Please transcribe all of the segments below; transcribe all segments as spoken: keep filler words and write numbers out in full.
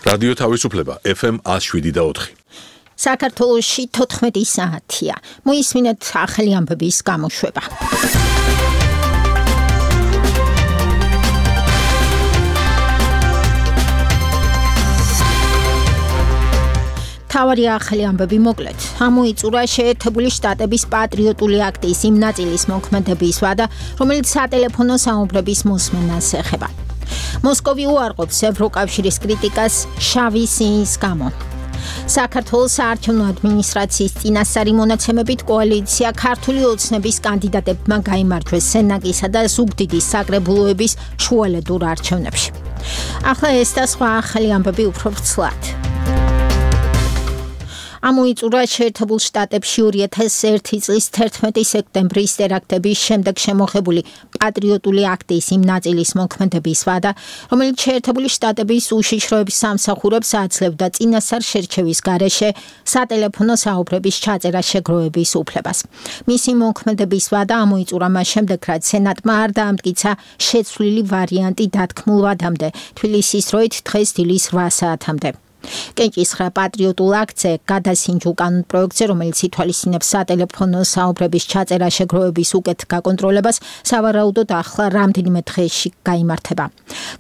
რადიო თავისუფლება F M one oh seven და four. საქართველოში თოთხმეტი საათია. მოისმინეთ ახალი ამბების გამოშვება. თავარი ახალი ამბები მოკლედ. ამოიწურა შეერთებული შტატების პატრიოტული აქტის იმ ნაწილის მოქმედების ვადა, რომელიც სატელეფონო საუბრების მოსმენას ეხება. მოსკოვი უარყოფს ევროკავშირის კრიტიკას შავი სიის გამო. საქართველოს საარჩევნო ადმინისტრაციის წინასწარი მონაცემებით კოალიცია ქართული ოცნების კანდიდატებმა გაიმარჯვეს სენაკისა და ზუგდიდის საკრებულოების შუალედურ არჩევნებში. ახლა ეს და სხვა ახალი ამბები უფრო ვრცლად. ამოიწურა შეერთებულ შტატებში ორი ათას ერთი წლის თერთმეტი სექტემბრის ტერაქტების შემდეგ შემოღებული პატრიოტული აქტის იმ ნაწილის მოქმედების ვადა, რომელიც შეერთებული შტატების უშიშროების სამსახურებს აძლევდა წინასწარ შერჩევის გარეშე სატელეფონო საუბრების ჩაწერა შეგროვების უფლებას. მისი მოქმედების ვადა ამოიწურა მას შემდეგ, რაც სენატმა არ დაამტკიცა შეცვლილი ვარიანტი დათქმულ ვადამდე, თბილისის დროით დღეს დილის რვა საათამდე. კენჭისხრა პატრიოტულ აქტზე გადასინჯულ კანონპროექტზე, რომელიც ითვალისწინებს სატელეფონო საუბრების ჩაწერა შეგროვების უკეთ გაკონტროლებას, სავარაუდოდ ახლა რამდენიმე დღეში გაიმართება.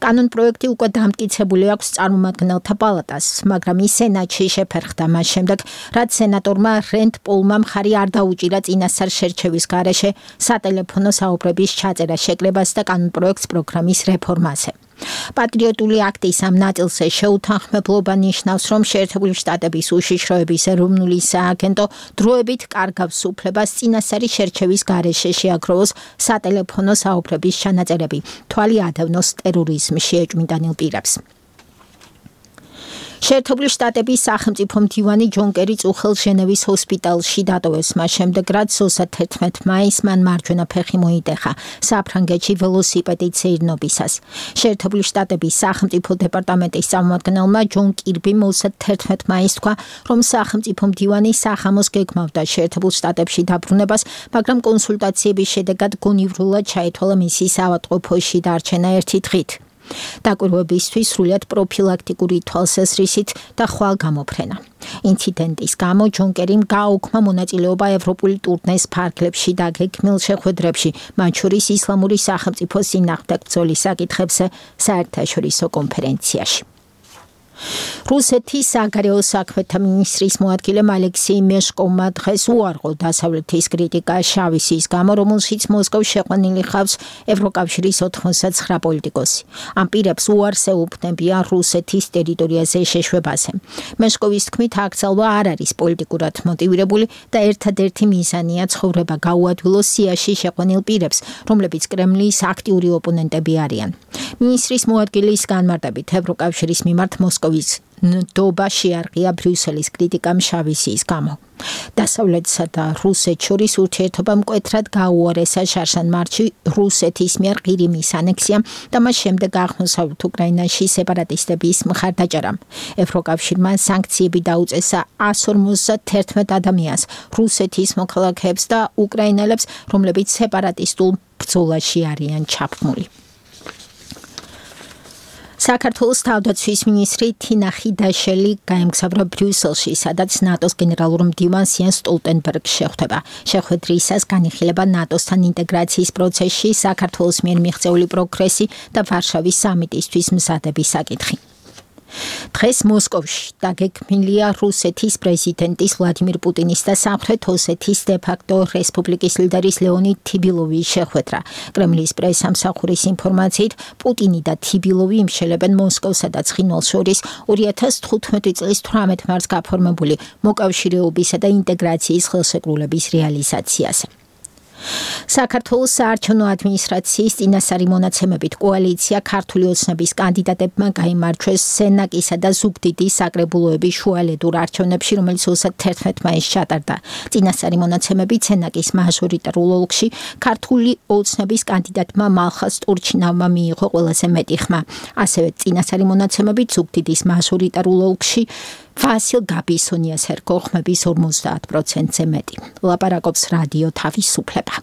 კანონპროექტი უკვე დამტკიცებული აქვს წარმომადგენელთა პალატას, მაგრამ ის სენატში შეფერხდა მას შემდეგ, რაც სენატორმა რენდ პოლმა მხარი არ დაუჭირა წინასწარ შერჩევის გარეშე სატელეფონო საუბრების ჩაწერა შეკრებას და კანონპროექტს პროგრამის რეფორმაზე. პატრიოტული აქტის ამ ნაწილზე შეუთანხმებლობა ნიშნავს, რომ შეერთებული შტატების უშიშროების ეროვნული სააგენტო დროებით კარგავს უფლებას წინასწარი შერჩევის გარეშე შეაგროვოს სატელეფონო საუბრების ჩანაწერები, თვალი ადევნოს ტერორიზმში ეჭვმიტანილ პირებს. შეერთებული შტატების სახელმწიფო მდივანი ჯონ კერი წუხელ ჟენევის ჰოსპიტალში დატოვეს მას შემდეგ, რაც თერთმეტ მაისს მან მარჯვენა ფეხი მოიტეხა საფრანგეთში ველოსიპედით სეირნობისას. შეერთებული შტატების სახელმწიფო დეპარტამენტის წარმომადგენელმა ჯონ კირბიმ თერთმეტ მაისს თქვა, რომ სახელმწიფო მდივანი სახამოს გეგმავდა შეერთებულ შტატებში დაბრუნებას, მაგრამ კონსულტაციების შედეგად გონივრულად ჩაითვალა მისი საავადმყოფოში დარჩენა ერთი დღით. დაკვირვებისთვის სრულიად პროფილაქტიკური თვალსაზრისით და ხვალ გამოფრენა. ინციდენტის გამო ჯონ კერიმ გააუქმა მონაწილეობა ევროპული ტურნეს ფარგლებში და გეგმილ შეხვედრებში, მათ შორის ისლამური სახელმწიფოს წინააღმდეგ საკითხებზე საერთაშორისო კონფერენციაში. რუსეთის საგარეო საქმეთა მინისტრის მოადგილემ ალექსეი მეშკოვმა დღეს უარყო დასავლეთის კრიტიკა შავი სიის გამო, რომელშიც მოსკოვს შეყვანილი ხავს ევროკავშირის ოთხმოცდათცხრა პოლიტიკოსი. ამ პირებს უარს ეუბნებიან რუსეთის ტერიტორიაზე შეშვებაზე. მეშკოვის თქმით, აკრძალვა არ არის პოლიტიკურად მოტივირებული და ერთადერთი მიზანია ცხოვრება გაუადვილოს სიაში შეყვანილ პირებს, რომლებიც კრემლის აქტიური ოპონენტები არიან. მინისტრის მოადგილის განმარტებით, ევროკავშირის მიმართ მოსკოვის ნდობა შეარყია ბრიუსელის კრიტიკამ შავი სიის გამო. დასავლეთსა და რუსეთს შორის ურთიერთობა მკვეთრად გაუარესა შარშან მარტში რუსეთის მიერ ყირიმის ანექსიამ და მას შემდეგ აღმოსავლეთ უკრაინაში სეპარატისტების მხარდაჭერამ. ევროკავშირმა სანქციები დაუწესა εκατს ორმოცდათერთმეტ ადამიანს, რუსეთის მოქალაქეებს და უკრაინელებს, რომლებიც სეპარატისტულ ბრძოლაში არიან ჩაბმული. საქართველოს თავდაცვის მინისტრი თინა ხიდაშელი გაემგზავრა ბრიუსელში, სადაც ნატოს გენერალურ მდივანს იენს სტოლტენბერგს შეხვდება. შეხვედრისას განიხილება ნატოსთან ინტეგრაციის პროცესში საქართველოს მიერ მიღწეული პროგრესი და ვარშავის სამიტისთვის მზადების საკითხი. დღეს მოსკოვში დაგეგმილია რუსეთის პრეზიდენტის ვლადიმირ პუტინის და სამხრეთ ოსეთის დე-ფაქტო რესპუბლიკის ლიდერის ლეონიდ თიბილოვის შეხვედრა. კრემლის პრესამსახურის ინფორმაციით, პუტინი და თიბილოვი იმშელებენ მოსკოვსა და ცხინვალს შორის ორი ათას თხუთმეტი წლის თვრამეტ მარტს გაფორმებული მოკავშირეობისა და ინტეგრაციის ხელშეკრულების რეალიზაციაზე. საქართველოს საარჩევნო ადმინისტრაციის წინასწარი მონაცემებით კოალიცია ქართული ოცნების კანდიდატებმა გაიმარჯვეს სენაკისა და ზუგდიდის საკრებულოების შუალედურ არჩევნებში, რომელიც თერთმეტ მაისს ჩატარდა. წინასწარი მონაცემებით სენაკის მაჟორიტარულ ოლქში ქართული ოცნების კანდიდატმა მალხაზ ტურჩინავმა მიიღო ყველაზე მეტი ხმა. ასევე წინასწარი მონაცემებით ზუგდიდის მაჟორიტარულ ოლქში ვასილ გაბისონიას ერგო ხმების ორმოცდაათ პროცენტზე მეტი. ლაპარაკობს რადიო თავისუფლება.